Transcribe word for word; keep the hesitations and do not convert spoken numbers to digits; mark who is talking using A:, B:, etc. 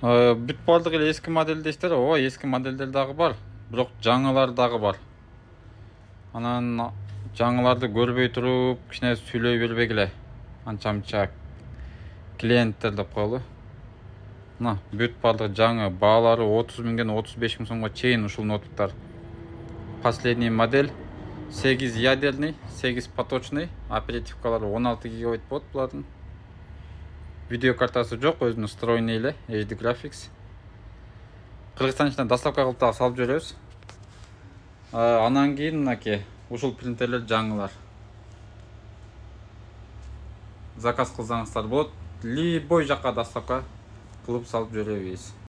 A: Бүт баардыгы эле эски модель дейсиздер. Ооба, эски модельдер дагы бар, бирок жаңылар дагы бар. Анан жаңыларды көрбөй туруп, кичине сүйлөй бербегиле. Анча-мынча клиенттер деп коелу. Мына бүт баардыгы жаңы, баалары отуз миңден отуз беш миң сомго чейин ушул ноутбуктар. Последний модель сегиз ядерный, сегиз поточный, оперативкалары он алты гигабайт болот булардын. Видео картасы жок, өзүнүн встроенный эле, эйч ди Graphics. Кыргызстан ичинен доставка кылып дагы салып жиберебиз. Анан кийин мынакей ушул принтерлер жаңылар. Заказ кылсаңыздар болот, любой жакка доставка кылып салып жиберебиз.